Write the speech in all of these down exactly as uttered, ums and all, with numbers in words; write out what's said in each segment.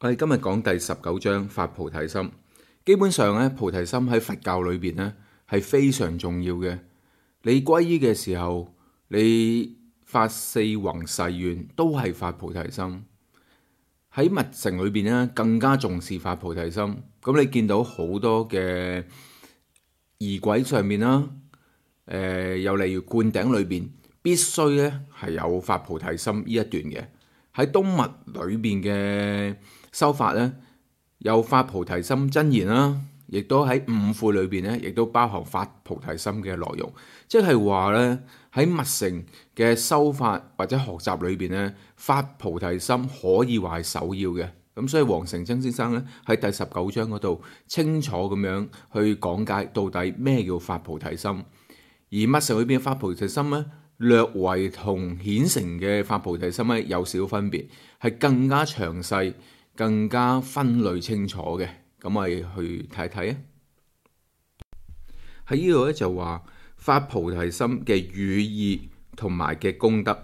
我哋今日講第十九章發菩提心。基本上咧，菩提心喺佛教裏邊咧係非常重要嘅。你皈依嘅時候，你發四弘誓願都係發菩提心。喺密乘裏邊咧更加重視發菩提心。咁你見到好多嘅儀軌上面啦，誒、呃，又例如灌頂裏邊必須咧係有發菩提心呢一段嘅。喺東密裏邊嘅修法咧，有發菩提心真言啦，亦都喺五悔裏邊咧，亦都包含發菩提心嘅內容。即係話咧，喺密乘嘅修法或者學習裏邊咧，發菩提心可以話係首要嘅。咁所以黃成真先生咧喺第十九章嗰度清楚咁樣去講解到底咩叫發菩提心。而密乘裏邊嘅發菩提心咧，略為同顯成嘅發菩提心咧有少分別，係更加詳細、更加分類清楚嘅。咁我哋去睇睇啊。喺呢度咧就話發菩提心嘅語意同埋嘅功德。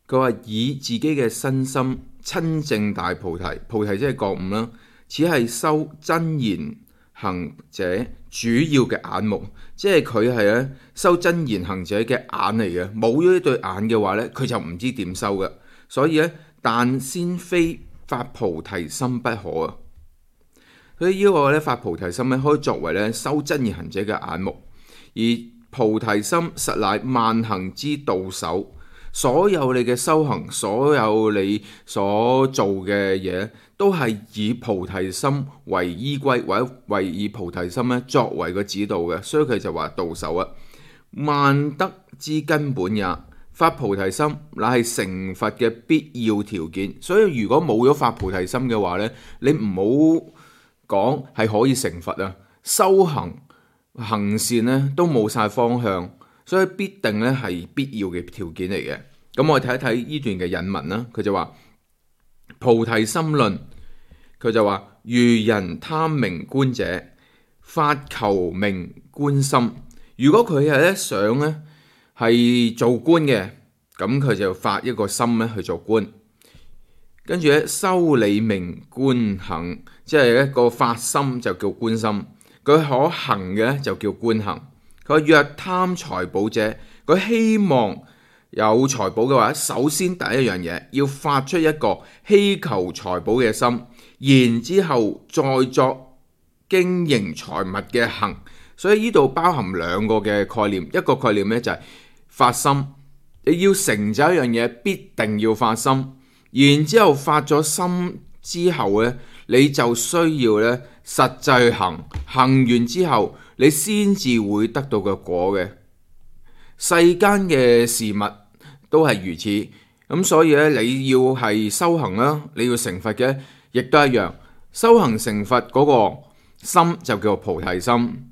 佢話以自己嘅身心親證大菩提，菩提即係覺悟啦，此係修真言行者主要嘅眼目，即係佢係咧修真言行者嘅眼嚟嘅。冇咗呢對眼嘅話咧，佢就唔知點修嘅。所以咧，但先非發菩提心不可啊。所以呢個咧發菩提心咧，可以作為咧修真言行者嘅眼目。而菩提心實乃萬行之導首。所有你嘅修行，所有你所做嘅嘢，都係以菩提心為依歸，或者為以菩提心咧作為個指導嘅。所以佢就話導首啊，萬德之根本也。發菩提心乃係成佛嘅必要條件。所以如果冇咗發菩提心嘅話咧，你唔好講係可以成佛啊，修行行善咧都冇晒方向。所以必定咧係必要嘅條件嚟嘅。咁我哋睇一睇呢段嘅引文啦。佢就話菩提心論，佢就話如人貪名觀者，發求名觀心。如果佢係咧想咧係做官嘅，咁佢就發一個心咧去做官。跟住咧修理名觀行，即係一個發心就叫觀心。佢可行嘅咧就叫觀行。佢若貪財寶者，佢希望有財寶嘅話，首先第一樣嘢要發出一個希求財寶嘅心，然之後再作經營財物嘅行。所以呢度包含兩個嘅概念，一個概念咧就係發心，你要成就一樣嘢，必定要發心。然之後發咗心之後咧，你就需要咧實際行，行完之後，你先至會得到個果嘅。世間嘅事物都係如此，咁所以咧你要係修行啦，你要成佛嘅，亦都一樣。修行成佛嗰個心就叫做菩提心。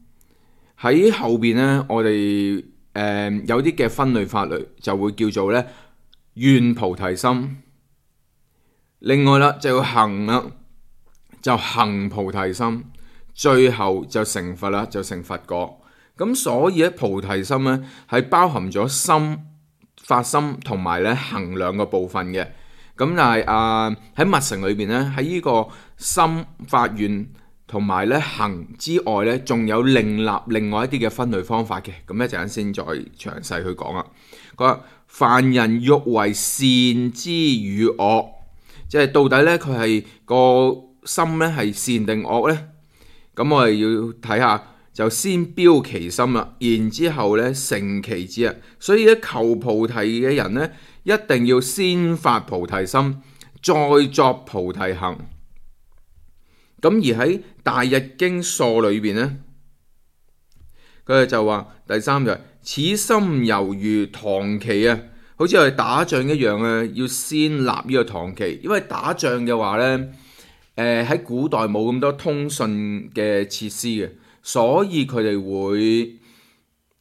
喺後邊咧，我哋誒、呃、有啲嘅分類法律就會叫做咧願菩提心。另外啦，就要行啦，就行菩提心。最後就成佛啦，就成佛果。咁所以咧，菩提心咧係包含咗心、發心同埋咧行兩個部分嘅。咁但係啊喺密乘裏邊咧，喺呢個心發願同埋咧行之外咧，仲有另立另外一啲嘅分類方法嘅。咁一陣間先再詳細去講啊。佢話凡人欲為善之與惡，即係到底咧佢係個心咧係善定惡咧？咁我哋要睇下，就先標其心啦，然之後咧成其志啊。所以咧求菩提嘅人咧，一定要先發菩提心，再作菩提行。咁而喺大日經疏裏邊咧，佢哋就話第三就係、是、此心猶如唐旗啊，好似我哋打仗一樣啊，要先立呢個唐旗。因為打仗嘅話咧，誒喺、呃、古代冇咁多通訊嘅設施嘅，所以佢哋會誒、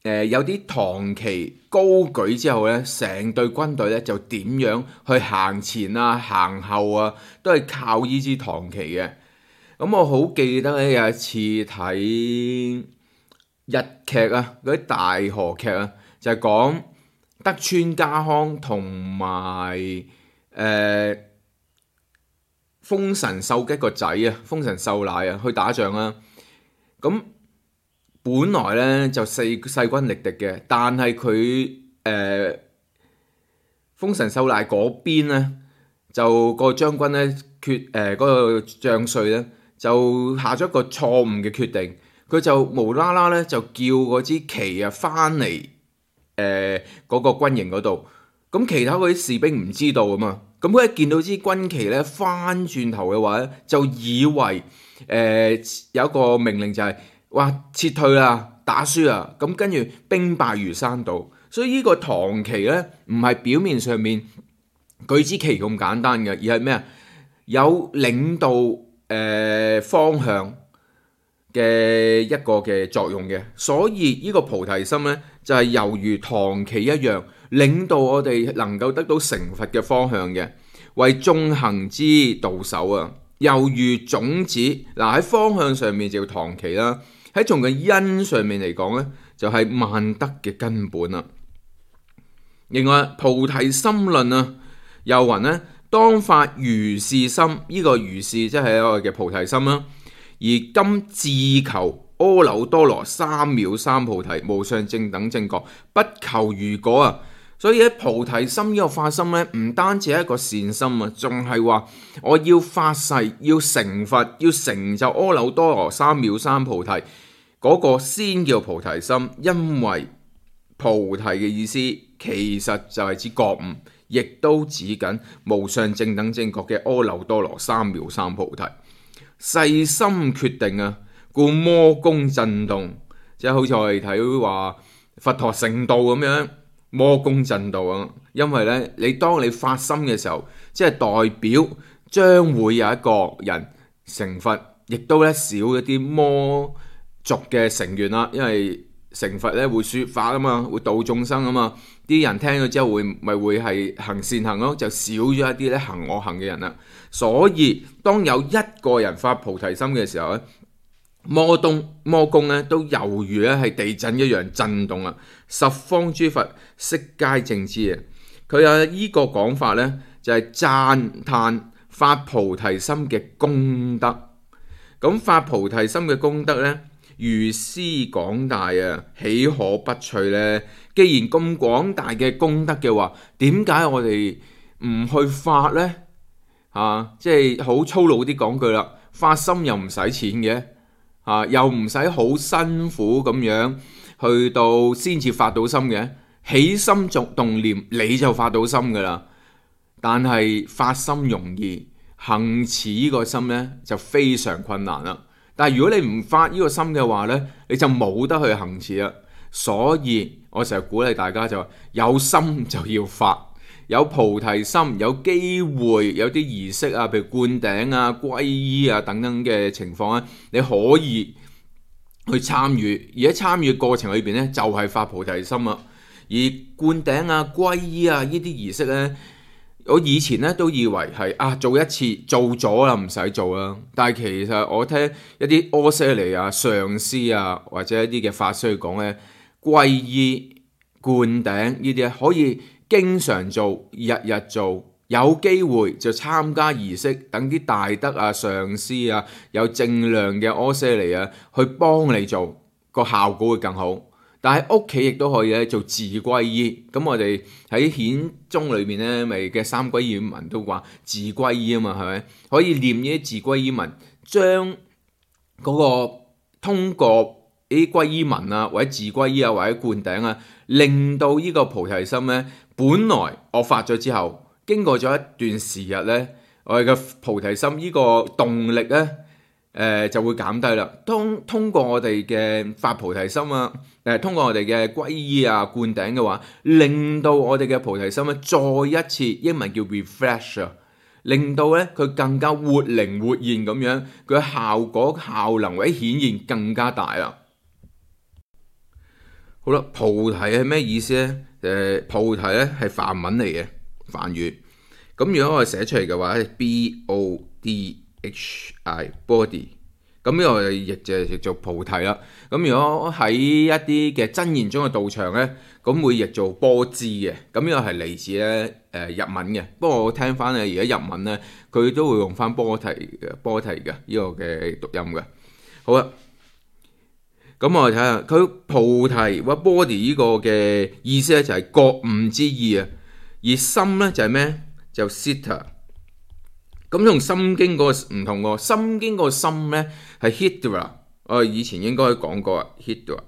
呃、有啲唐旗高舉之後咧，成隊軍隊咧就點樣去行前啊、行後啊，都係靠呢支唐旗嘅。咁我好記得咧，有一次睇日劇啊，嗰啲大河劇啊，就係、是、講德川家康同埋誒豐臣秀吉個仔啊，豐臣秀賴啊，去打仗啦。咁本來咧就勢勢均力敵嘅，但係佢誒豐臣秀賴嗰邊咧，就個將軍咧決誒嗰個將帥咧就下咗一個錯誤嘅決定，佢就無啦啦咧就叫嗰支旗啊翻嚟誒嗰個軍營嗰度。咁其他嗰啲士兵唔知道啊嘛，咁佢一見到支軍旗咧翻轉頭嘅話咧，就以為誒、呃、有一個命令就係、是、話撤退啦，打輸啦，咁跟住兵敗如山倒。所以呢個唐旗咧唔係表面上面舉支旗咁簡單嘅，而係咩啊？有領導誒、呃、方向嘅一個嘅作用嘅。所以呢個菩提心咧就係、是、猶如唐旗一樣，領導我哋能夠得到成佛嘅方向嘅，為眾行之導首啊！猶如種子嗱，喺方向上面就叫唐旗啦，喺從個因上面嚟講咧，就係、是、萬德嘅根本啦。另外菩提心論啊，又云咧，當發如是心，呢、這個如是即係我哋嘅菩提心啦。而今自求阿耨多羅三藐三菩提無上正等正覺，不求如果啊！所以喺菩提心呢個發心咧，唔單止係一個善心啊，仲係話我要發誓要成佛，要成就阿耨多羅三藐三菩提嗰、那個先叫菩提心。因為菩提嘅意思其實就係指覺悟，亦都指緊無上正等正覺嘅阿耨多羅三藐三菩提。細心決定啊，故魔宮震動，即係好似我哋睇話佛陀成道咁樣。魔宮震動啊！因為咧，你當你發心嘅時候，即係代表將會有一個人成佛，亦都咧少一啲魔族嘅成員啦。因為成佛咧會說法啊嘛，會度眾生啊嘛，啲人聽咗之後會咪會係行善行咯，就少咗一啲咧行惡行嘅人啦。所以當有一個人發菩提心嘅時候咧，魔東魔宮咧都猶如咧係地震一樣震動啦，十方諸佛悉皆證知啊！佢有依個講法咧，就係讚歎發菩提心嘅功德。咁發菩提心嘅功德咧，如斯廣大啊，豈可不趣咧？既然咁廣大嘅功德嘅話，點解我哋唔去發咧？嚇、啊，即係好粗魯啲講句啦，發心又唔使錢嘅。啊！又唔使好辛苦咁樣去到先至發到心嘅，起心作動念你就發到心噶啦。但係發心容易，行持呢個心呢就非常困難啦。但係如果你唔發呢個心嘅話呢，你就冇得去行持啦。所以我成日鼓勵大家就話，有心就要發。有菩提心，有機會有啲儀式啊，譬如灌頂啊、皈依啊等等嘅情況咧，你可以去參與。而喺參與過程裏邊咧，就係、是、發菩提心啊。而灌頂啊、皈依啊呢啲儀式咧，我以前咧都以為係啊做一次做咗啦，唔使做啦。但係其實我聽一啲阿闍黎啊、上師啊或者一啲嘅法師講咧，皈依、灌頂呢啲可以經常做，日日做，有機會就參加儀式，等啲大德啊、上師啊、有正量嘅阿闍黎啊，去幫你做，個效果會更好。但係屋企亦都可以咧做自皈依。咁我哋喺顯宗裏面咧，咪嘅三皈依文都話自皈依啊嘛，係咪？可以念呢啲自皈依文，將嗰個通過啲皈依文啊，或者自皈依啊，或者灌頂啊，令到呢個菩提心咧，本來我發咗之後，經過咗一段時日咧，我哋嘅菩提心呢個動力咧，誒、呃、就會減低啦。當通過我哋嘅發菩提心啊，誒、呃、通過我哋嘅皈依啊、灌頂嘅話，令到我哋嘅菩提心咧，再一次英文叫 refresh 啊，令到咧佢更加活靈活現咁樣，佢嘅效果效能或者顯現更加大啦。好啦，菩提係咩意思咧？誒、呃，菩提咧係梵文嚟嘅，梵語。咁如果我寫出嚟嘅話咧 ，B O D H I，body。咁呢個譯就譯做菩提啦。咁如果喺一啲嘅真言中嘅道場咧，咁會譯做波支嘅。咁呢個係嚟自咧誒日文嘅，不過我聽翻咧而家日文咧佢都會用翻波提嘅波提嘅呢個嘅讀音嘅。好啦，咁我哋睇下佢菩提或 body 呢個嘅意思咧就係覺悟之意啊，而心咧就係咩？就 citta。咁同心經嗰個唔同喎，心經嗰個心咧係 hridaya， 我以前應該講過啊 hridaya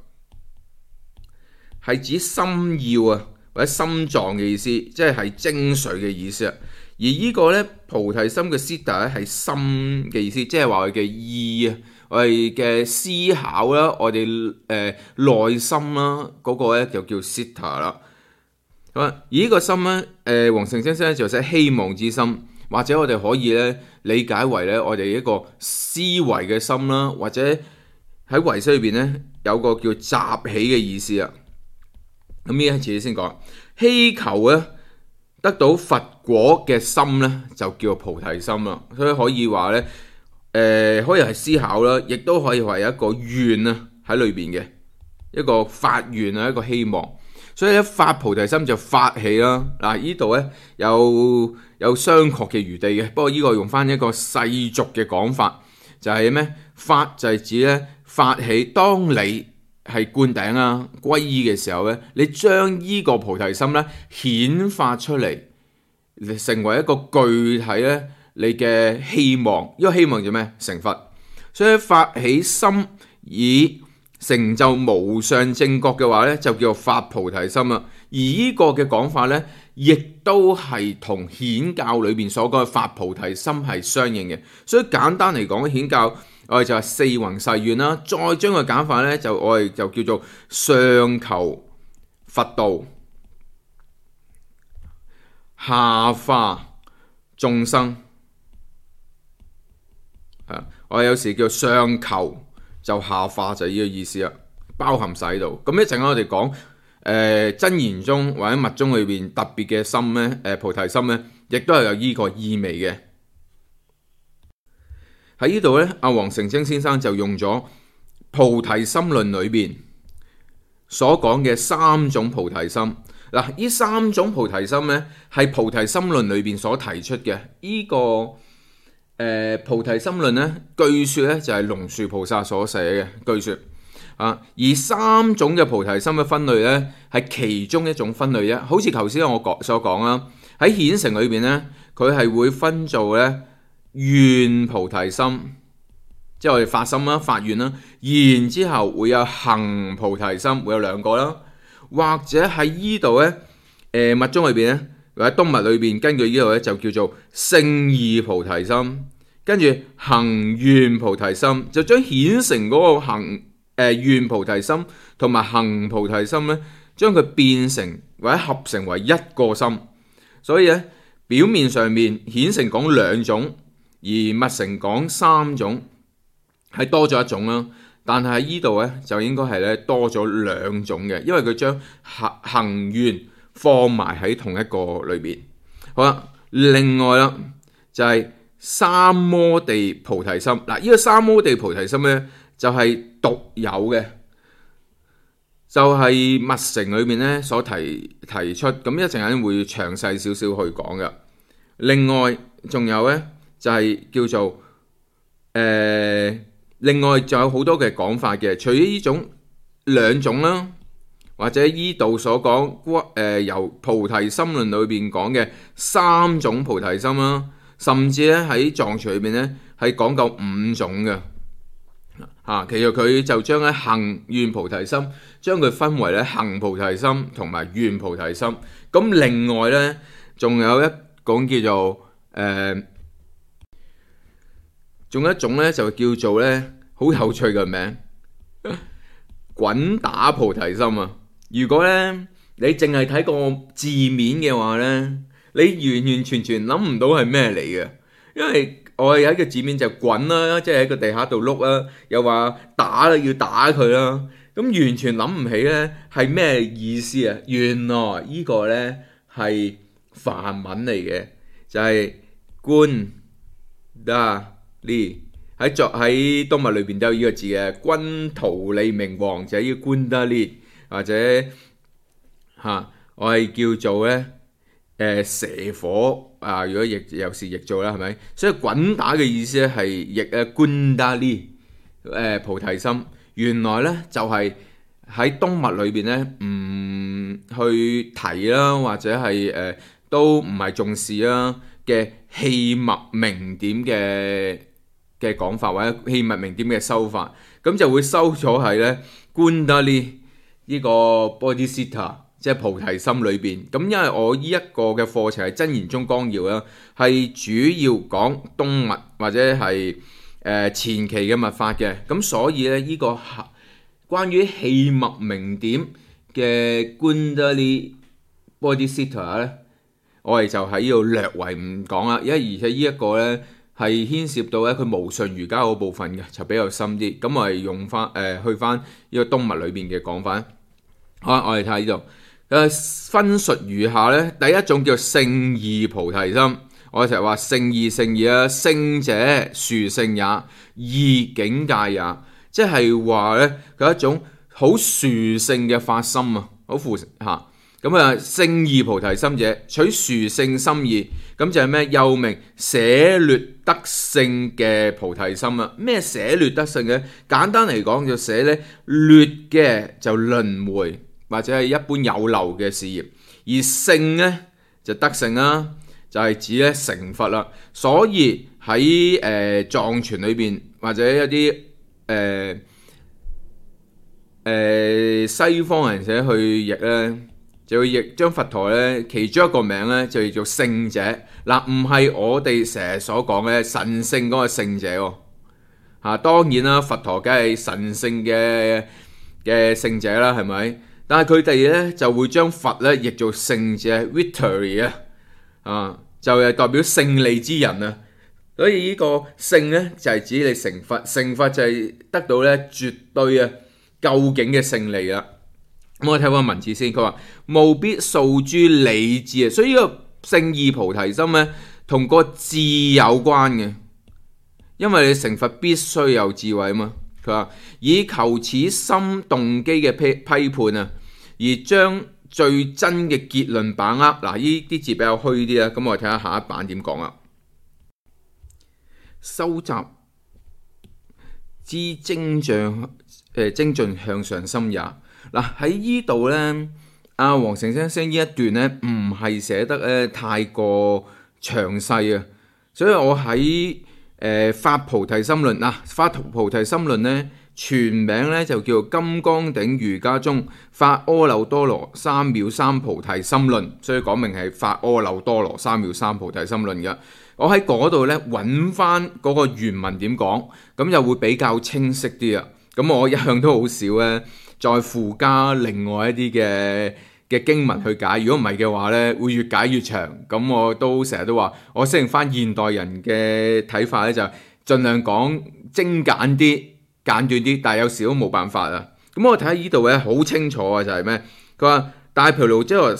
係指心要啊或者心臟嘅意思，即係係精髓嘅意思啊。而呢個咧菩提心嘅 citta 咧係心嘅意思，即係話佢嘅意啊，我哋嘅思考啦，我哋誒內心啦嗰個咧就叫 citta 啦。好啊，而呢個心咧，誒黃成清先生就寫希望之心。或者我哋可以咧理解為咧我哋一個思維嘅心啦，或者喺唯識裏邊咧有個叫集起嘅意思啊。咁呢一次先講，希求咧得到佛果嘅心咧就叫菩提心啦。所以可以話咧，誒、呃、可以係思考啦，亦都可以話有一個願啊喺裏邊嘅一個發願啊，一個希望。所以咧發菩提心就發起啦。嗱，呢度咧有有商榷嘅餘地嘅，不過呢個用翻一個世俗嘅講法，就係咩？發就係指咧發起，當你係灌頂啊歸依嘅時候咧，你將呢個菩提心咧顯發出嚟，成為一個具體咧你嘅希望。呢個希望叫咩？成佛。所以發起心以成就無上正覺嘅話咧，就叫做發菩提心啦。而呢個嘅講法咧，亦都係同顯教裏邊所講嘅發菩提心係相應嘅。所以簡單嚟講，顯教我哋就係四弘誓願啦，再將個簡法咧，就我哋就叫做上求佛道，下化眾生。啊，我哋有時叫上求。就下化就係呢個意思啦，包含晒喺度。咁一陣間我哋講誒真言中或者密宗裏邊特別嘅心咧，誒、呃、菩提心咧，亦都係有呢個意味嘅。喺呢度咧，阿黃成清先生就用咗菩提心論裏邊所講嘅三種菩提心。嗱，呢三種菩提心咧係菩提心論裏邊所提出嘅呢、這個。誒、呃、菩提心論咧，據說咧就係龍樹菩薩所寫嘅，據說啊。而三種嘅菩提心嘅分類咧，係其中一種分類啫。好似頭先我講所講啦，喺顯成裏邊咧，佢係會分做咧願菩提心，即係我哋發心啦、發願啦，然之後會有行菩提心，會有兩個啦。或者喺依度咧，誒、呃、密宗裏邊咧。或者東密裏邊，根據呢度咧就叫做勝義菩提心，跟住行願菩提心，就將顯成嗰個行誒、呃、願菩提心同埋行菩提心咧，將佢變成或者合成為一個心。所以咧表面上面顯成講兩種，而密成講三種，係多咗一種啦。但係喺呢度咧就應該係咧多咗兩種嘅，因為佢將行行願放埋喺同一個裏邊。好啦，另外啦就係、是、三摩地菩提心。嗱，呢個三摩地菩提心咧就係、是、獨有嘅，就係、是、密乘裏面咧所提提出。咁一陣間會詳細少少去講噶。另外仲有咧就係、是、叫做誒、呃，另外仲有好多嘅講法嘅。除咗呢種兩種啦。或者依度所講，誒、呃、由菩提心論裏邊講嘅三種菩提心啦，甚至咧喺藏傳裏邊咧係講夠五種嘅嚇、啊。其實佢就將咧行願菩提心，將佢分為咧行菩提心同埋願菩提心。咁另外咧，仲有一講叫做誒，仲、呃、有一種咧就叫做咧好有趣嘅名，滾打菩提心啊！如果咧你淨係睇個字面嘅話咧，你完完全全諗唔到係咩嚟嘅，因為我有一個字面就滾啦，即係喺個地下度碌啦，又話打啦，要打佢啦，咁完全諗唔起咧係咩意思啊？原來呢個咧係梵文嚟嘅，就係觀打利，喺作喺東密裏邊都有呢個字嘅，君圖利明王就係呢個觀打利。或者嚇、啊，我係叫做咧誒蛇火啊，如果譯有時譯做啦，係咪？所以滾打嘅意思咧係譯誒觀達利誒菩提心。原來咧就係、是、喺東密裏邊咧唔去提啦，或者係誒、呃、都唔係重視啦嘅器物名點嘅嘅講法，或者器物名點嘅修法，咁就會收咗係咧觀達利呢個 Bodhisattva。即係菩提心裏邊，咁因為我呢一個嘅課程係真言宗綱要啦，係主要講東密或者係誒、呃、前期嘅密法嘅，咁所以咧呢、這個關於器物名點嘅觀達利 Bodhisattva 咧，我哋就喺呢度略為唔講啦，因為而且呢一個咧係牽涉到咧佢無上瑜伽嗰部分嘅，就比較深啲，咁我哋用翻誒、呃、去翻呢個東密裏邊嘅講法。好啦，我哋睇下呢度。誒分述如下咧，第一種叫聖義菩提心，我成日話聖義聖義啊，聖者殊勝也，義境界也，即係話咧佢一種好殊勝嘅發心啊，好殊嚇咁啊！聖義菩提心者，取殊勝心意，咁就係咩？又名捨劣得勝嘅菩提心啊！咩捨劣得勝嘅？簡單嚟講，就捨咧劣嘅就輪迴，或者係一般有漏嘅事業，而勝咧就得勝啦，就係、是、指咧成佛啦。所以喺誒、呃、藏傳裏邊或者一啲誒誒西方人寫去譯咧，就會譯將佛陀咧其中一個名咧就叫做聖者。嗱，唔係我哋成日所講嘅神聖嗰個聖者喎。嚇、啊，當然啦，佛陀梗係神聖嘅嘅聖者啦，係咪？但係佢哋咧就會將佛咧譯做聖者 victory 啊，啊就係代表勝利之人啊。所以呢個聖咧就係、是、指你成佛，成佛就係得到咧絕對啊究竟嘅勝利啦。咁我睇翻文字先，佢話務必訴諸理智啊，所以呢個聖義菩提心咧同個智有關嘅，因為你成佛必須有智慧啊嘛。佢話以求此心動機嘅批批判啊，而將最真嘅結論把握。嗱，呢啲字比較虛啲啦，咁我哋睇下下一版點講啊。收集之精進誒精進向上心也。嗱，喺呢度咧，阿黃成先生呢一段咧唔係寫得咧太過詳細啊，所以我喺誒、呃、發菩提心論嗱，發菩提心論咧全名咧就叫金剛頂瑜伽宗發阿耨多羅三藐三菩提心論，所以講明係發阿耨多羅三藐三菩提心論嘅。我喺嗰度咧揾翻嗰個原文點講，咁就會比較清晰啲啊。咁我一向都好少咧再附加另外一啲嘅嘅經文去解，如果唔係嘅話咧會越解越長。咁我都成日都話，我適應翻現代人嘅睇法咧，就盡量講精簡啲、簡短啲，但係有時都冇辦法啊。咁我睇下呢度咧好清楚啊，就係咩？佢話大毗盧遮那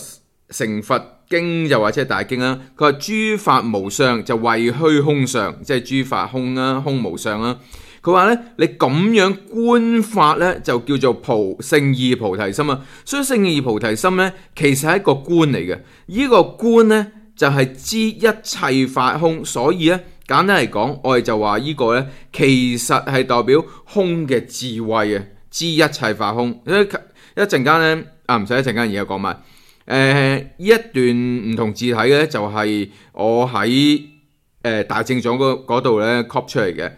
成佛經就或者係大經啦，佢話諸法無相就謂虛空相，即係諸法空啦，空無相啦。佢話咧，你咁樣觀法咧，就叫做菩聖義菩提心啊。所以聖義菩提心咧，其實係一個觀嚟嘅。呢、這個觀咧，就係、是、知一切法空。所以咧，簡單嚟講，我哋就話呢個咧，其實係代表空嘅智慧啊，知一切法空。一一陣間咧，啊唔使一陣間，而家講埋。誒、呃，呢一段唔同字體嘅咧，就係、是、我喺誒、呃、大正藏嗰度咧 copy 出嚟嘅。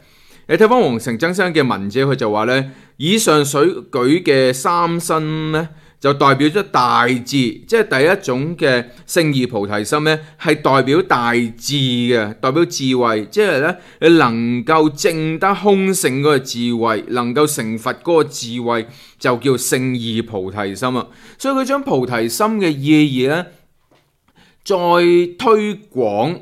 你睇翻黃成曾生嘅文字，佢就話咧，以上所舉嘅三身咧，就代表咗大智，即係第一種嘅聖義菩提心咧，係代表大智嘅，代表智慧，即係咧你能夠證得空性嗰個智慧，能夠成佛嗰個智慧，就叫聖義菩提心啊。所以佢將菩提心嘅意義咧，再推廣誒。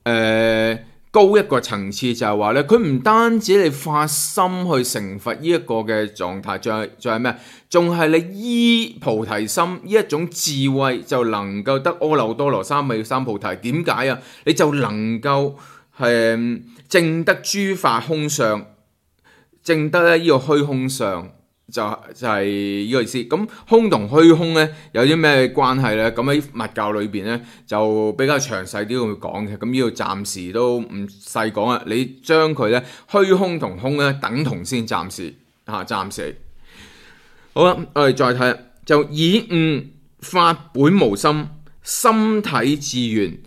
呃高一個層次，就係話咧，佢唔單止你發心去成佛呢一個嘅狀態，仲係仲係咩？仲係你依菩提心呢一種智慧，就能夠得阿耨多羅三藐三菩提。點解啊？你就能夠係證得諸法空相，證得咧呢個虛空相。就就係呢個意思。咁空同虛空咧有啲咩關係咧？咁喺佛教裏邊咧就比較詳細啲去講嘅。咁呢度暫時都唔細講啦。你將佢咧虛空同空咧等同先，暫時嚇暫時。好啦，我哋再睇，就以悟法本無心，心體自圓，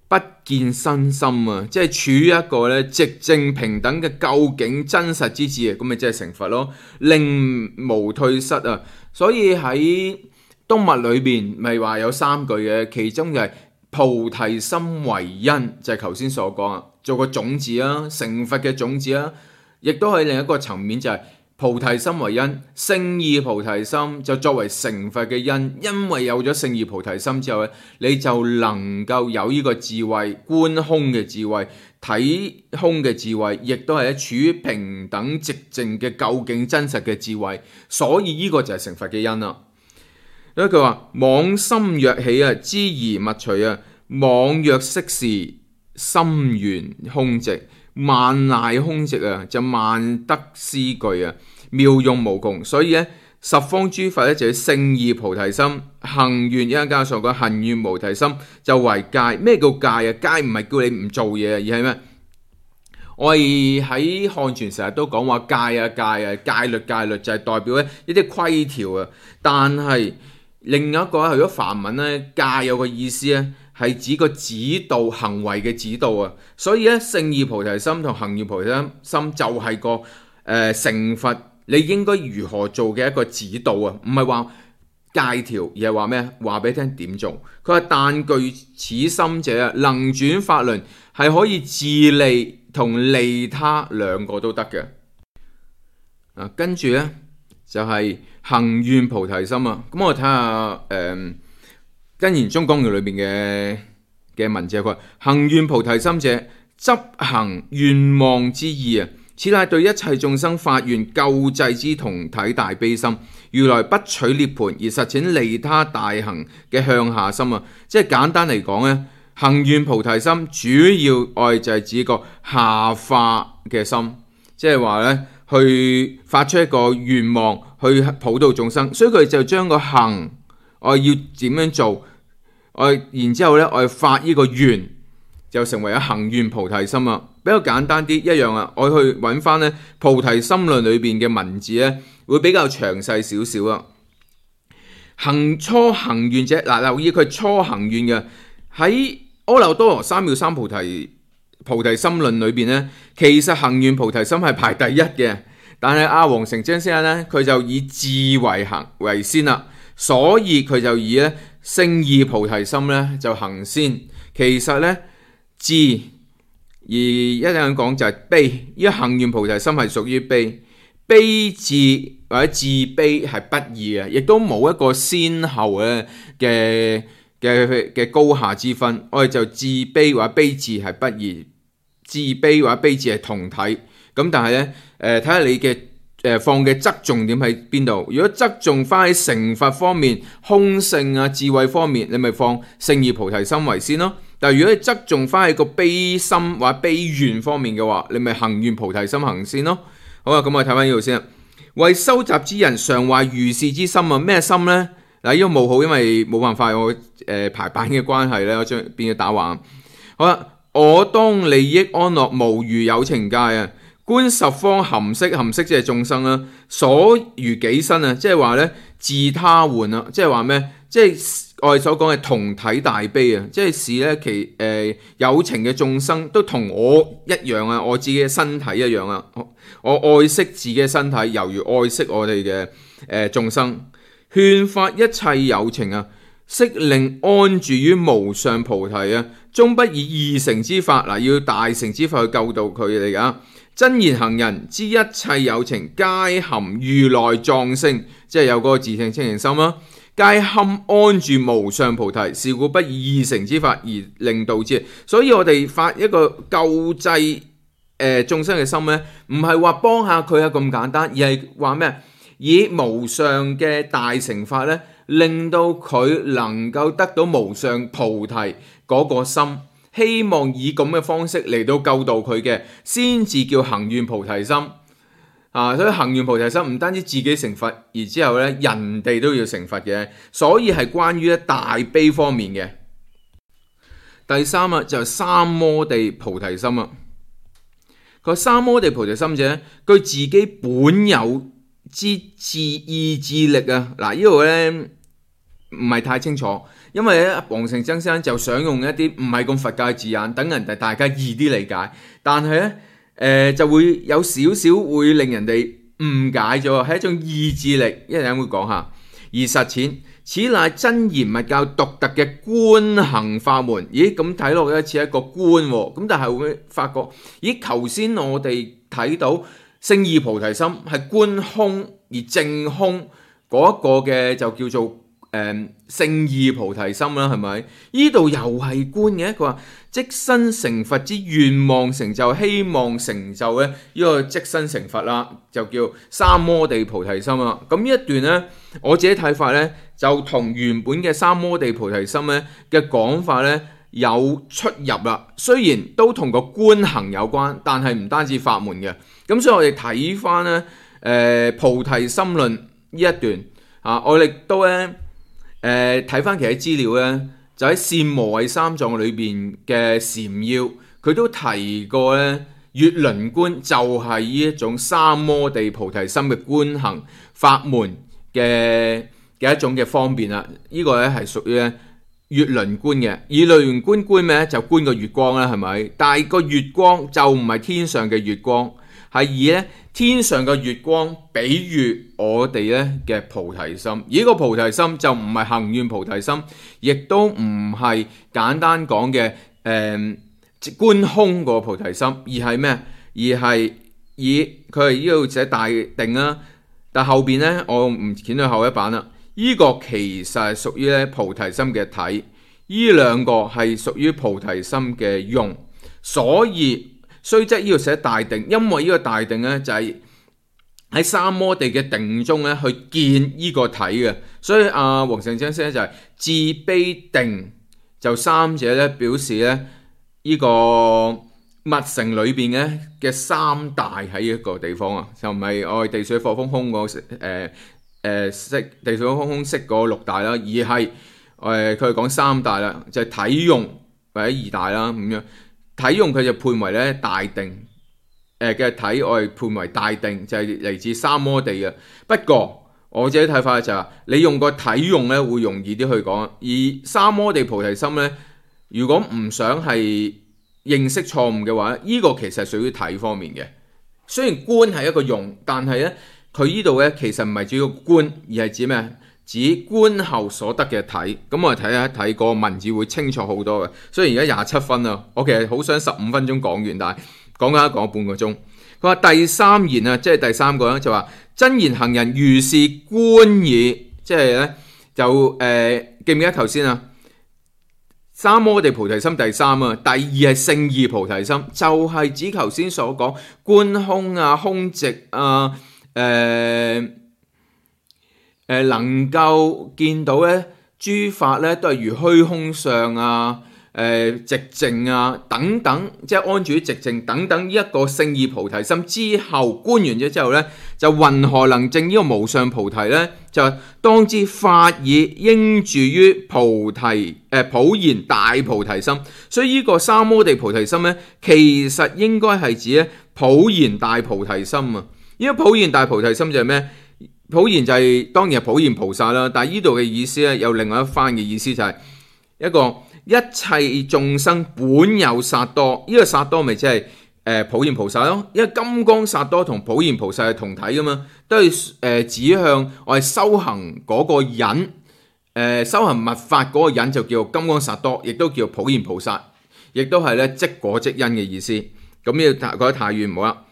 不見身心啊！即係處於一個咧寂靜平等嘅究竟真實之智啊！咁咪即係成佛咯，令無退失啊！所以喺東密裏邊咪話有三句嘅，其中就係菩提心為因，就係頭先所講啊，做個種子啊，成佛嘅種子啊，亦都係另一個層面就係、是。菩提心為因，勝義菩提心就作為成佛嘅因，因為有咗勝義菩提心之後咧，你就能夠有呢個智慧，觀空嘅智慧，睇空嘅智慧，亦都係處於平等寂靜嘅究竟真實嘅智慧，所以呢個就係成佛嘅因啦。因為佢話妄心若起啊，知而勿隨啊，妄若息事，心圓空寂。萬賴空寂啊，就萬德思具啊，妙用無窮。所以咧，十方諸佛咧就要勝義菩提心，行願一陣間所講行願菩提心就為戒。咩叫戒啊？戒唔係叫你唔做嘢啊，而係咩？我哋喺漢傳成日都講話戒啊戒啊，戒律戒律就係代表咧一啲規條啊。但係另一個如果梵文咧，戒有個意思咧。係指個指導行為嘅指導啊，所以咧勝義菩提心同行願菩提心就係個誒、呃、成佛你應該如何做嘅一個指導啊，唔係話戒條，而係話咩？話俾你聽點做。佢話但具此心者啊，能轉法輪，係可以自利同利他兩個都得嘅。啊，跟住咧就係、是、行願菩提心啊。咁我睇下誒。呃跟言中講嘅裏邊嘅嘅文字，佢話行願菩提心者，執行願望之意啊，此乃對一切眾生發願救濟之同體大悲心。如來不取涅槃而實踐利他大行嘅向下心啊，即係簡單嚟講咧，行願菩提心主要愛就係指個下化嘅心，即係話咧去發出一個願望去普度眾生，所以佢就將個行。我要點樣做？我然之後咧，我發呢個願，就成為咗行願菩提心啊！比較簡單啲，一樣啊！我去揾翻咧菩提心論裏邊嘅文字咧，會比較詳細少少啊。行初行願者，嗱，留意佢初行願嘅喺阿耨多羅三藐三菩提菩提心論裏邊咧，其實行願菩提心係排第一嘅，但係阿黃成精先生咧，佢就以智為行為先啦。所以佢就以咧勝義菩提心咧就行先，其實咧智而一陣講就係悲，因為行願菩提心係屬於悲，悲智或者自悲係不二嘅，亦都冇一個先後咧嘅嘅嘅高下之分，我哋就自悲或者悲智係不二，自悲或者悲智係同體，咁但係咧誒睇下你嘅。誒放嘅側重點喺邊度？如果側重翻喺成佛方面、空性啊、智慧方面，你咪放勝義菩提心為先咯。但係如果你側重翻喺個悲心或者悲願方面嘅話，你咪行願菩提心行先咯。好啊，咁我睇翻呢度先啊。為修習之人常懷如是之心啊，咩心呢？嗱，呢個冇好，因為冇辦法我誒、呃、排版嘅關係咧，我將變咗打橫。好啦，我當利益安樂無餘有情界啊。觀十方含識，含識即係眾生啦，所如己身啊，即係話咧自他換啊，即係話咩？即係我哋所講嘅同體大悲啊，即係使咧其誒、呃、有情嘅眾生都同我一樣啊，我自己嘅身體一樣啊，我愛惜自己嘅身體，猶如愛惜我哋嘅誒眾生，勸發一切有情啊，悉令安住於無上菩提啊，終不以二乘之法嗱，要大乘之法去救度佢哋噶。真言行人知一切有情皆含如來藏性，即係有嗰個自性清淨心啦，皆堪安住無上菩提，是故不以二乘之法而令度之。所以我哋發一個救濟誒眾生嘅心咧，唔係話幫下佢啊咁簡單，而係話咩？以無上嘅大乘法咧，令到佢能夠得到無上菩提嗰個心。希望以咁嘅方式嚟到救度佢嘅，先至叫行願菩提心。啊，所以行願菩提心唔單止自己成佛，而之後咧人哋都要成佛嘅，所以係關於咧大悲方面嘅。第三啊就係三摩地菩提心啊。個三摩地菩提心者，佢自己本有之自意志力啊。嗱，呢度咧唔係太清楚，因為咧黃成曾先生就想用一啲唔係咁佛教嘅字眼，等人哋大家易啲理解，但係咧。誒、呃、就會有少少會令人哋誤解咗，係一種意志力，一陣會講下。而實踐，此乃真言密教獨特嘅觀行法門。咦，咁睇落咧似一個觀喎，咁但係會發覺，咦，頭先我哋睇到勝義菩提心係觀空而證空嗰一個嘅就叫做誒勝義菩提心啦，係咪？呢度又係觀嘅，佢話。即身成佛之願望成就，希望成就咧呢個即身成佛啦，就叫三摩地菩提心啦。咁呢一段咧，我自己睇法咧，就同原本嘅三摩地菩提心咧嘅講法咧有出入啦。雖然都同個觀行有關，但係唔單止法門嘅。咁所以我哋睇翻咧，誒、呃、菩提心論呢一段啊，我哋都咧誒睇翻其他資料咧。就喺《善無畏三藏》裏邊嘅禪要，佢都提過咧，月輪觀就係呢一種三摩地菩提心嘅觀行法門嘅嘅一種嘅方便啦。呢、這個咧係屬於咧月輪觀嘅。以月輪觀觀咩咧？就觀個月光啦，係咪？但係個月光就唔係天上嘅月光，係以咧天上嘅月光比喻我哋咧嘅菩提心。而呢個菩提心就唔係行願菩提心，亦都唔係簡單講嘅誒觀空個菩提心，而係咩？而係以佢係呢度寫大定啦。但後邊咧我唔剪到後一版啦。呢、這個其實係屬於咧菩提心嘅體，呢兩個係屬於菩提心嘅用，所以。雖則呢度寫大定，因為呢個大定咧就係喺三摩地嘅定中咧去見呢個體嘅，所以阿黃成曾先生就係智悲定就三者咧表示咧呢個密乘裏邊嘅嘅三大喺一個地方啊，就唔係我哋地水火風空嗰誒誒識地水火風空識嗰六大啦，而係誒佢係講三大啦，就係、是、體用或者二大啦咁樣。體用佢就判為咧大定，誒嘅體我哋判為大定，就係、是、嚟自三摩地嘅。不過我自己睇法就係、是，你用個體用咧會容易啲去講，而三摩地菩提心咧，如果唔想係認識錯誤嘅話，呢、這個其實屬於體方面嘅。雖然觀係一個用，但係咧佢呢度咧其實唔係主要觀，而係指咩？指觀後所得嘅體，咁我哋睇一睇個文字會清楚好多嘅。雖然而家廿七分啦，我其實好想十五分鐘講完，但係講緊講半個鐘。佢話第三言啊，即係第三個咧，就話真言行人如是觀矣，即係咧就誒、呃、記唔記得頭先啊？三摩地菩提心第三啊，第二係勝義菩提心，就係、是、指頭先所講觀空啊、空寂啊、誒、呃。誒能夠見到咧，諸法咧都係如虛空相啊、誒寂靜啊等等，即係安住於寂靜等等。呢一個勝義菩提心之後觀完咗之後咧，就云何能證呢個無上菩提咧？就當知法已應住於菩提誒、呃、普賢大菩提心。所以呢個三摩地菩提心咧，其實應該係指咧普賢大菩提心啊。呢個普賢大菩提心就係咩？普賢就係、是、當然係普賢菩薩啦，但係呢度嘅意思咧有另外一番嘅意思，就係一個一切眾生本有薩多，呢、這個薩多咪即係誒普賢菩薩咯，因為金剛薩多同普賢菩薩係同體噶嘛，都係誒、呃、指向我哋修行嗰個人，誒、呃、修行密法嗰個人就叫金剛薩多，亦都叫普賢菩薩，亦都係咧即果即因嘅意思。咁呢個覺得太遠唔好啦，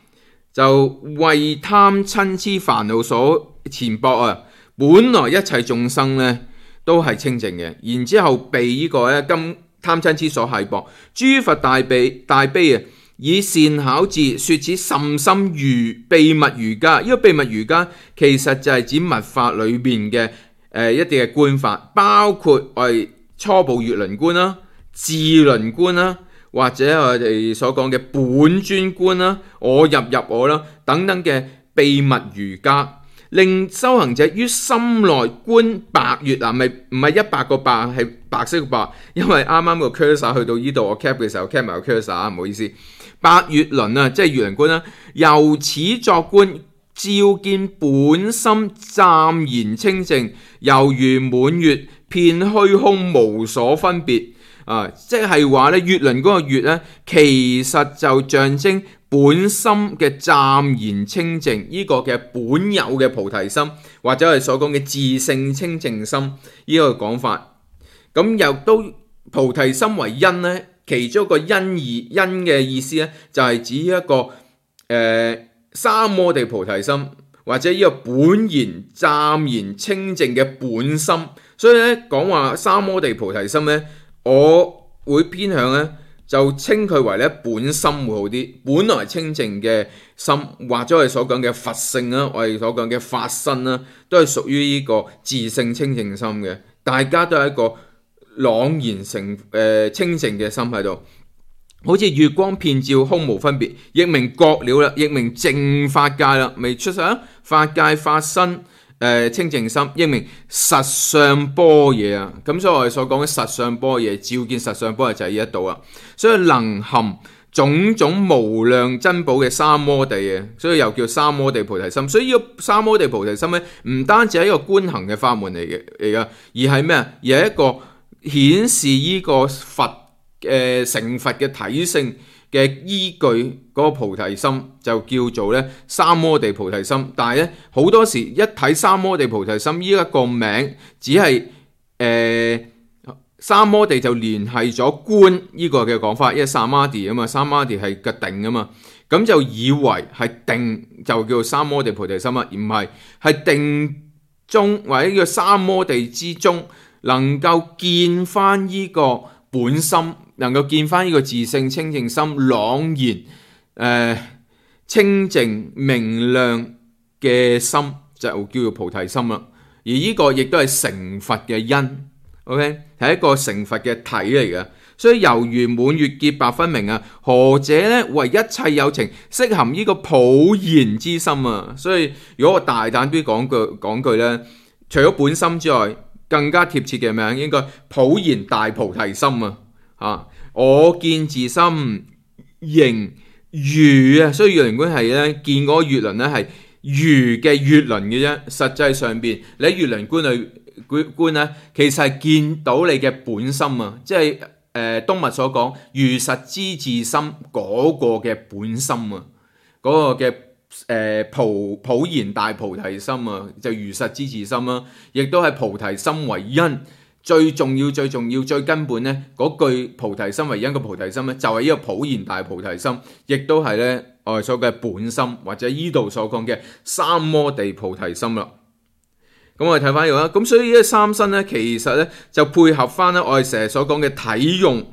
就為貪嗔痴煩惱所纏縛啊！本來一切眾生咧都係清淨嘅，然之後被呢個咧金貪嗔痴所繫縛。諸佛大悲大悲啊，以善巧智說此甚深如秘密瑜伽。呢、這個秘密瑜伽其實就係指密法裏邊嘅誒一啲嘅觀法，包括我哋初步月輪觀啦、智輪觀啦，或者我哋所講嘅本尊觀啦、我入入我啦等等嘅。秘密瑜伽，令修行者於心內觀白月啊，咪唔係一百個白，係白色嘅白，因為啱啱個 cursor 去到呢度，我 cap 嘅時候 cap 埋個 cursor 啊，唔好意思。白月輪啊，即係月輪觀啦，由此作觀，照見本心湛然清淨，猶如滿月，遍虛空無所分別啊！即係話咧，月輪嗰個月咧，其實就象徵本心嘅湛然清淨，呢、這個嘅本有嘅菩提心，或者係所講嘅自性清淨心，呢、這個講法。咁又都菩提心為因咧，其中一個因義因嘅意思咧，就係、是、指一個誒、呃、三摩地菩提心，或者呢個本然湛然清淨嘅本心。所以咧講話三摩地菩提心咧，我會偏向咧就稱佢為咧本心會好啲。本來清淨嘅心，或者我哋所講嘅佛性啦，我哋所講嘅法身啦，都係屬於呢個自性清淨心嘅。大家都係一個朗然成誒、呃、清淨嘅心喺度，好似月光遍照，空無分別，亦名覺了啦，亦名淨法界啦，未出世啊！法界法身誒、呃、清淨心，亦名實相般若啊！咁所以我哋所講嘅實相般若，照見實相般若就係呢一度啊！所以能含種種無量珍寶嘅三摩地嘅，所以又叫三摩地菩提心。所以呢個三摩地菩提心咧，唔單止係一個觀行嘅法門嚟嘅嚟噶，而係咩啊？而係一個顯示呢個佛嘅、呃、成佛嘅體性嘅依據，嗰個菩提心就叫做咧三摩地菩提心。但係咧好多時一睇三摩地菩提心呢一個名，只係誒、呃、三摩地就聯繫咗觀呢個嘅講法，因為三摩地啊嘛，三摩地係個定啊嘛，咁就以為係定就叫做三摩地菩提心啊，而唔係係定中或者叫三摩地之中。能夠見翻呢個本心，能夠見翻呢個自性清淨心，朗然誒、呃、清淨明亮嘅心，就叫做菩提心啦。而呢個亦都係成佛嘅因 ，OK 係一個成佛嘅體嚟嘅。所以猶如滿月潔白分明啊，何者咧為一切有情悉含呢個普賢之心啊。所以如果我大膽啲講句講句咧，除咗本心之外，更加貼切嘅名應該普賢大菩提心啊！啊，我見自心形如啊，所以月輪觀係咧見嗰個月輪咧係如嘅月輪嘅啫。實際上邊你喺月輪觀裏觀咧，其實係見到你嘅本心啊，即係誒東密所講如實知自心嗰個嘅本心啊，嗰、那個嘅。誒、呃、普普賢大菩提心啊，就如實知自心啦，亦都係菩提心為因，最重要、最重要、最根本咧，嗰句菩提心為因嘅菩提心咧，就係、是、呢個普賢大菩提心，亦都係咧我哋所講嘅本心，或者依度所講嘅三摩地菩提心啦。咁我哋睇翻呢個啦，咁所以呢三身咧，其實咧就配合翻咧我哋成日所講嘅體用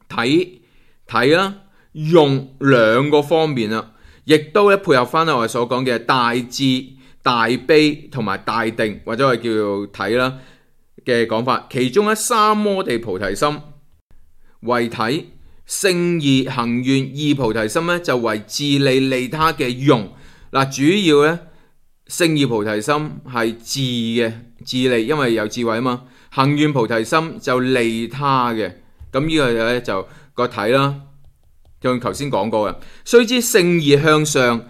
體體啦用兩個方面啦。亦都咧配合翻我哋所講嘅大智、大悲同埋大定，或者我哋叫做體啦嘅講法。其中咧三摩地菩提心為體，勝義行願二菩提心咧就為自利利他嘅用。嗱，主要咧勝義菩提心係智嘅自利，因為有智慧啊嘛。行願菩提心就利他嘅，咁呢個咧就個體啦。像頭先講過嘅，須知勝義向上，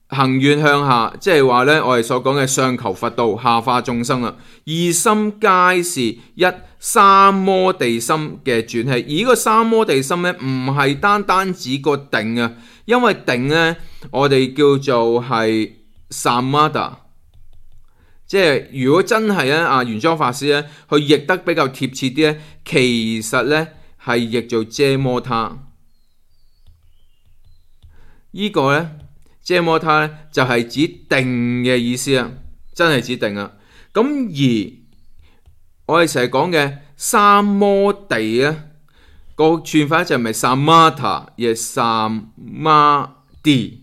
行願向下，即係話咧，我哋所講嘅上求佛道，下化眾生啦。二心皆是一三摩地心嘅轉起，而呢個三摩地心咧，唔係單單指個定啊，因為定咧，我哋叫做係 samatha， 即係如果真係咧，阿玄奘法師咧，去譯得比較貼切啲咧，其實咧係譯做遮摩他。呢個呢，遮摩他呢，就係指定嘅意思啊，真係指定啊。咁而我哋成日講嘅三摩地呢，個串法就唔係 samatha， 而係 samadhi，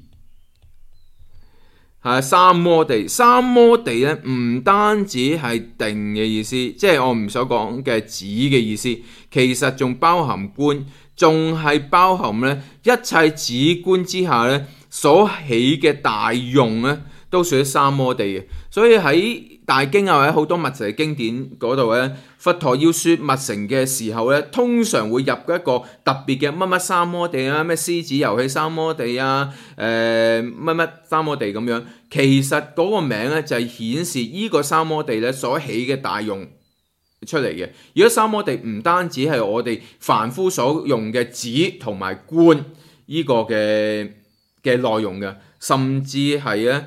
係三摩地。三摩地呢，唔單止係定嘅意思，即係我唔所講嘅指嘅意思，其實仲包含觀。仲係包含咧一切止觀之下咧，所起嘅大用咧，都屬於三摩地嘅。所以喺大經啊或者好多密乘嘅經典嗰度咧，佛陀要說密乘嘅時候咧，通常會入一個特別嘅乜乜三摩地啊，咩獅子遊戲三摩地啊，誒乜乜三摩地咁樣。其實嗰個名咧就係顯示呢個三摩地咧所起嘅大用出嚟嘅。如果三摩地唔單止係我哋凡夫所用嘅止同埋觀呢個嘅嘅內容嘅，甚至係咧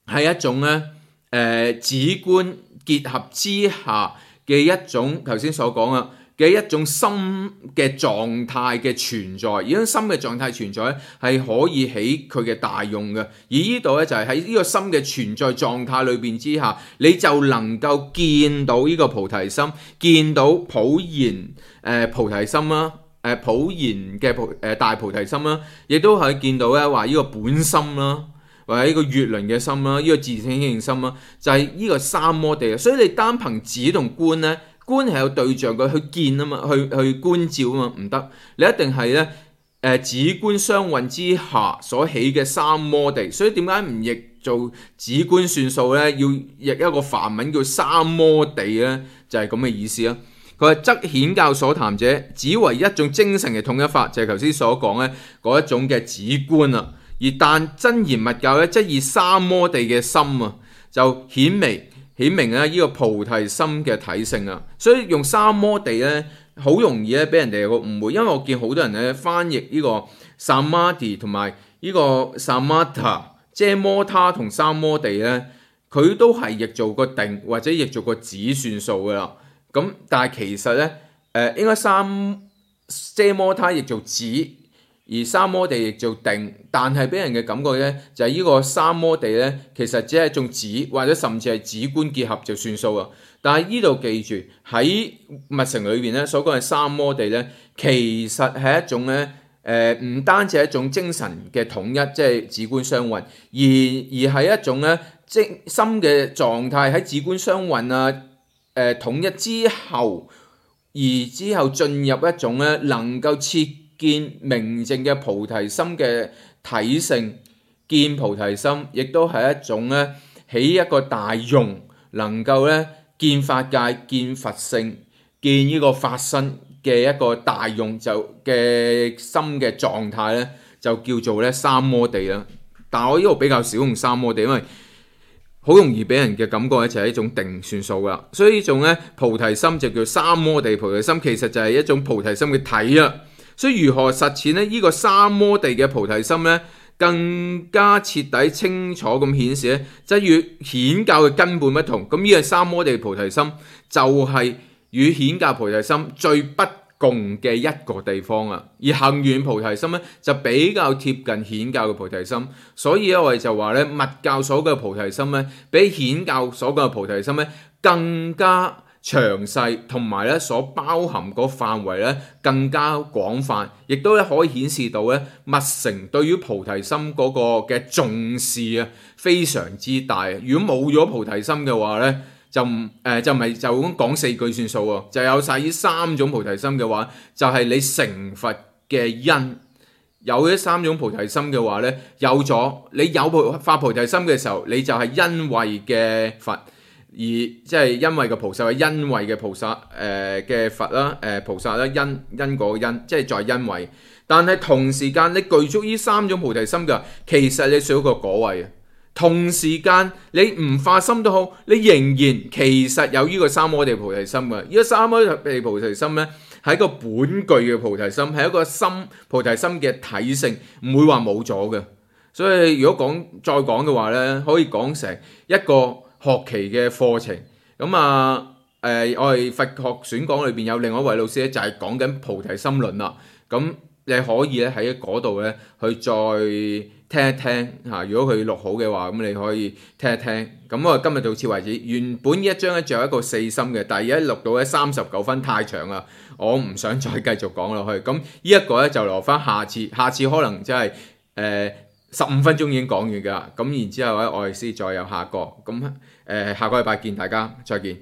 係一種咧誒止觀結合之下嘅一種頭先所講啊嘅一種心嘅狀態嘅存在，而種心嘅狀態存在咧係可以起佢嘅大用嘅。而呢度咧就係喺呢個心嘅存在狀態裏邊之下，你就能夠見到呢個菩提心，見到普賢誒、呃、菩提心啦，誒、呃、普賢嘅菩誒、呃、大菩提心啦，亦都可以見到咧話呢個本心啦，或者呢個月輪嘅心啦，呢、這個自性性心啦，就係、是、呢個三摩地。所以你單憑止同觀咧。觀係有對象嘅去見啊嘛，去去觀照啊嘛，唔得，你一定係咧誒止觀雙運之下所起嘅三摩地。所以點解唔譯做止觀算數咧？要譯一個梵文叫三摩地咧，就係咁嘅意思啦。佢話則顯教所談者，只為一種精神嘅統一法，就係頭先所講咧嗰一種嘅止觀啊。而但真言密教咧，即以三摩地嘅心啊，就顯微。顯明咧呢個菩提心嘅體性啊，所以用三摩地咧好容易咧俾人哋有個誤會，因為我見好多人咧翻譯呢個 samadhi 同埋呢個 samatha， 即係摩他同三摩地咧，佢都係譯做個定或者譯做個止算數噶啦。咁但係其實咧誒、呃、應該三遮摩他譯做止。而三摩地亦做定，但係俾人嘅感覺咧，就係、是、呢個三摩地咧，其實只係一種止，或者甚至係止觀結合就算數啊。但係呢度記住喺密乘裏邊咧所講嘅三摩地咧，其實係一種咧誒，唔、呃、單止係一種精神嘅統一，即係止觀雙運，而而係一種咧精心嘅狀態喺止觀雙運啊誒、呃、統一之後，而之後進入一種咧能夠切見明淨嘅菩提心嘅體性，見菩提心亦都係一種咧起一個大用，能夠咧見法界、見佛性、見呢個法身嘅一個大用就嘅心嘅狀態咧，就叫做咧三摩地啦。但係我呢度比較少用三摩地，因為好容易俾人嘅感覺咧就係一種定算數啦。所以呢種咧菩提心就叫三摩地菩提心，其實就係一種菩提心嘅體啦。所以如何實踐咧？呢、這個三摩地嘅菩提心咧，更加徹底清楚咁顯示咧，即係與顯教嘅根本不同。咁呢個三摩地菩提心就係與顯教菩提心最不共嘅一個地方啊。而行願菩提心咧，就比較貼近顯教嘅菩提心。所以咧，我哋就話咧，密教所講嘅菩提心咧，比顯教所講嘅菩提心咧，更加詳細，同埋咧所包含個範圍咧更加廣泛，亦都咧可以顯示到咧密乘對於菩提心嗰個嘅重視啊，非常之大。如果冇咗菩提心嘅話咧，就唔誒、呃、就唔係就咁講四句算數喎，就有晒呢三種菩提心嘅話，就係、是、你成佛嘅因。有呢三種菩提心嘅話咧，有咗你有菩發菩提心嘅時候，你就係因為嘅佛。而即係因為嘅菩薩係因為嘅菩薩誒嘅、呃、佛啦，誒、呃、菩薩啦，因因果因，即係在因為。但係同時間你具足呢三種菩提心嘅，其實你少一個果位啊。同時間你唔發心都好，你仍然其實有呢個三摩地菩提心嘅。呢、這個三摩地菩提心咧係一個本具嘅菩提心，係一個心菩提心嘅體性，唔會話冇咗嘅。所以如果講再講嘅話咧，可以講成一個學期嘅課程。咁啊，誒、呃，我哋佛學選講裏邊有另外一位老師咧，就係講緊菩提心論啦。咁你可以咧喺嗰度咧去再聽一聽嚇。如果佢錄好嘅話，咁你可以聽一聽。咁我今日到此為止。原本呢一章咧仲有一個四心嘅，但係而家錄到咧三十九分太長啦，我唔想再繼續講落去。咁呢一個咧就留翻下次，下次可能即係誒十五分鐘已經講完㗎。咁然之後咧，我哋先再有下個。咁誒、呃，下個禮拜見大家，再見。